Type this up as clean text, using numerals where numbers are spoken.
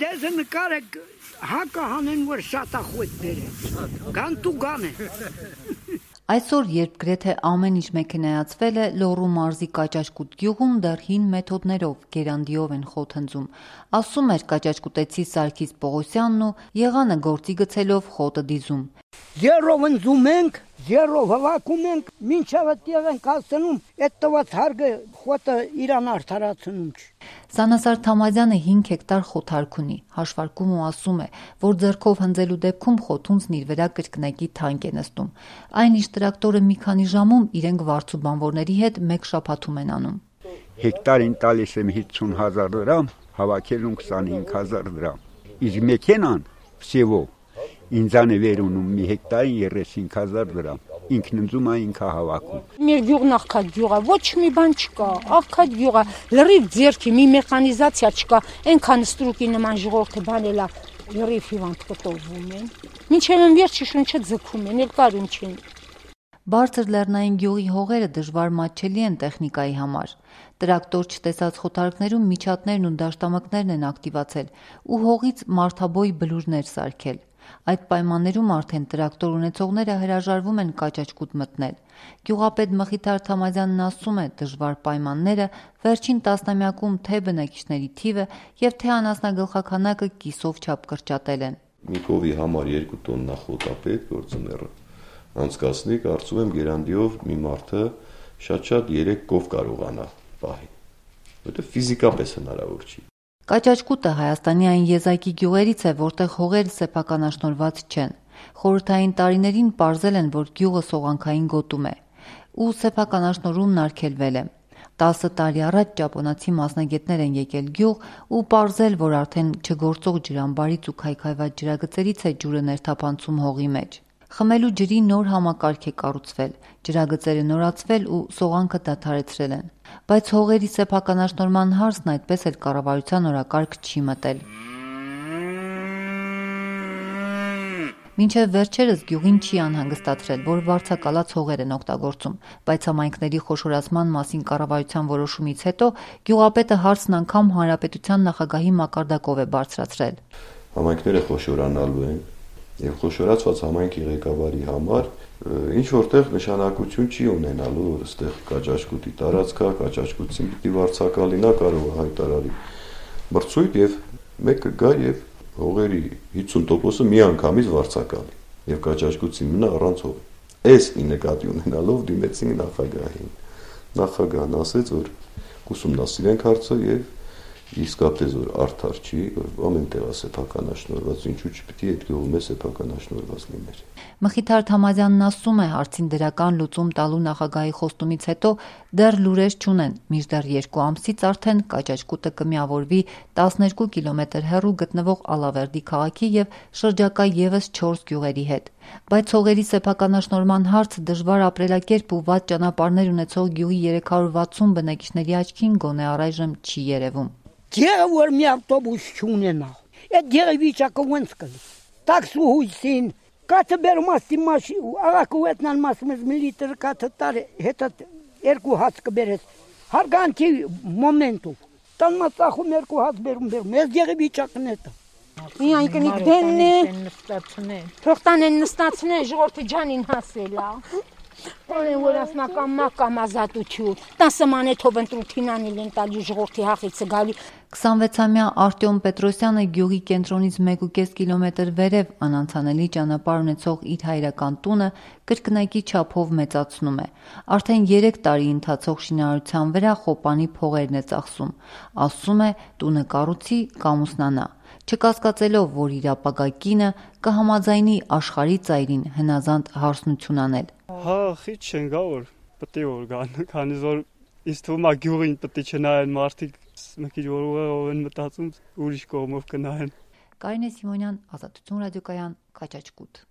դեզը նկարեք հակը հանեն, որ շատախույտ բերեն, գան տու գան է։ Այսօր, երբ գրեթե ամեն ինչ մեքենայացվել է, Լոռու մարզի Կաճաճկուտ գյուղում դեռ հին մեթոդներով, գերանդիով են խոտ հնձում, ասում էր կաճաճկուտեցի Սարգիս Պողոսյանն ու եղանը գործի գցելով խոտը դիզում։ Ձեռով ընձում ենք, ձեռով հվակում ենք, մինչև այդտեղ ենք հասնում, այդ տված հարգը խոտը իրան արդարացնում չի։ Սանասար Թամազյանը 5 հեկտար խոթարք ունի, հաշվարկում ու ասում է, որ ձեռքով հնձելու դեպքում խոթունցն իր վրա կրկնակի թանկ է նստում։ Այնինչ տրակտորը մի քանի ժամում իրենք վարձու բանվորների հետ մեկ շաբաթում են անում։ Հեկտարին տալիս եմ 50,000 դրամ, հավաքելուն 25,000 դրամ։ Իսկ մեքենան всего ինձան է վերունում մի հեկտարին 35,000 դրամ։ Ինքն ընձում է, ինքը հավաքում։ Մեր գյուղն աղքատ գյուղ է, ոչ մի բան չկա, աղքատ գյուղ է, լրիվ ձեռքի մի մեխանիզացիա չկա, այնքան ստրուկի նման ժողովուրդը բանել է, լրիվ հիվանդ կտորվում են։ Մինչև են վերջի շունչը ձգում են, էլ կարում չեն։ Բարձր լեռնային գյուղի հողերը դժվար մատչելի են տեխնիկայի համար։ Տրակտոր չտեսած խոթարքներում միջատներն ու դաշտամկներն են ակտիվացել ու հողից մարդաբոյ բլուրներ սարքել։ Այդ պայմաններում արդեն տրակտոր ունեցողները հրաժարվում են Կաճաճկուտ մտնել։ Գյուղապետ Մխիթար Թամազյանն ասում է, դժվար պայմանները վերջին տասնամյակում թե բնակիչների թիվը եւ թե անասնագլխաքանակը կիսով չափ կրճատել են։ Մի կովի համար 2 տոննա խոտ է պետք, որ ձմեռը անցկացնի, կարծում եմ գերանդիով մի մարդը շատ 3 կով կարողանա պահի, որտեղ ֆիզիկապես հնարավոր չի։ Կաճաճկուտը Հայաստանի այն եզակի գյուղերից է, որտեղ հողերը սեփականաշնորհված չեն։ Խորհրդային տարիներին պարզել են, որ գյուղը սողանքային գոտում է ու սեփականաշնորհումն արգելվել է։ 10 տարի առաջ ճապոնացի մասնագետներ են եկել գյուղ ու պարզել, որ արդեն չգործող ջրամբարից ու քայքայված ջրագծերից է ջուրը ներթափանցում հողի մեջ։ Խմելու ջրի նոր համակարգ է կառուցվել, ջրագծերը նորացվել ու սողանքը դադարեցրել են։ Բայց հողերի սեփականաշնորհման հարցն այդպես էլ կառավարության օրակարգ չի մտել։ Մինչև վերջերս գյուղին չի անհանգստացրել, որ վարձակալած հողեր են օգտագործում, բայց համայնքների խոշորացման մասին կառավարության որոշումից հետո գյուղապետը հարցն անգամ հանրապետության նախագահի մակարդակով է բարձրացրել։ Համայնքները խոշորանալու են եւ խոշորացված համայնքի ղեկավարի համար ինչ որտեղ նշանակություն չի ունենալու, որ այստեղ Կաճաճկուտի տարածքա, Կաճաճկուտին պիտի վարձակալինա կարող է հայտարարի մրցույթ եւ մեկը գա եւ հողերի 50%-ը միանգամից վարձակալի եւ Կաճաճկուտին մնա առանց հողի։ Այս նկատի ունենալով դիմեցին նախագահին։ Նախագահն ասեց, որ կուսումնասիրենք հարցը եւ իսկապես որ արդար չի, որ ամեն տեղ է սեփականաշնորհված, ինչու չպիտի այդ գյուղում է սեփականաշնորհված լիներ։ Մխիթար Թամազյանն ասում է, հարցին դրական լուծում տալու նախագահի խոստումից հետո դեռ լուրեր չունեն, մինչդեռ 2 ամսից արդեն Կաճաճկուտը կմիավորվի 12 կիլոմետր հեռու գտնվող Ալավերդի քաղաքի եւ շրջակա եւս 4 գյուղերի հետ։ Բայց հողերի սեփականաշնորհման հարցը դժվար ապրելակերպ ու վատ ճանապարհներ ունեցող գյուղի 360 բնակիչների աչքին գոնե առայժմ չի երևում։ Գեղը որ մի ավտոբուս չունենա, այդ գեղի վիճակը ոնց կլի։ Տաքսու հույսին, կաթը բերում ասի մաշի, աղակու ետնան մասմыз միլիտր կաթը տար, հետը 2 հաց կբերես, հարգանքի մոմենտով, տան մացախում 2 հաց բերում, ես գեղի վիճակն էտը։ Միայն կնիկ դենն է, թողտան են նստացնեն, ժողորդի ջանին հասելա։ Olen որ ասնական մակամ ազատություն, 10 մանեթով ընտրութին անել են տալի ժողորդի հախիցը գալի։ 26-ամյա Արտյոմ Պետրոսյանը գյուղի կենտրոնից 1.5 կիլոմետր վերև անանցանելի ճանապարհ ունեցող իր հայրական տունը կրկնակի չափով մեծացնում է։ Արդեն 3 տարի ընթացող շինարարության վրա խոպանի փողերն է ծախսում։ Ասում է, տունը կառուցի կամ ուսնանա, չկասկածելով, որ իր ապագա կինը կհամաձայնի աշխարհի ծայրին հնազանդ հարսնություն անել։ Հա, խիչ չեն գա որ պետք է որ գան, քանի որ ինձ թվում է գյուղին պետք է չնայեն մարդիկ, մի քիչ որ ուղղով են մտածում ուրիշ կողմով կնայեն։ Կարինե Սիմոնյան, Ազատություն ռադիոկայան, Կաճաճկուտ։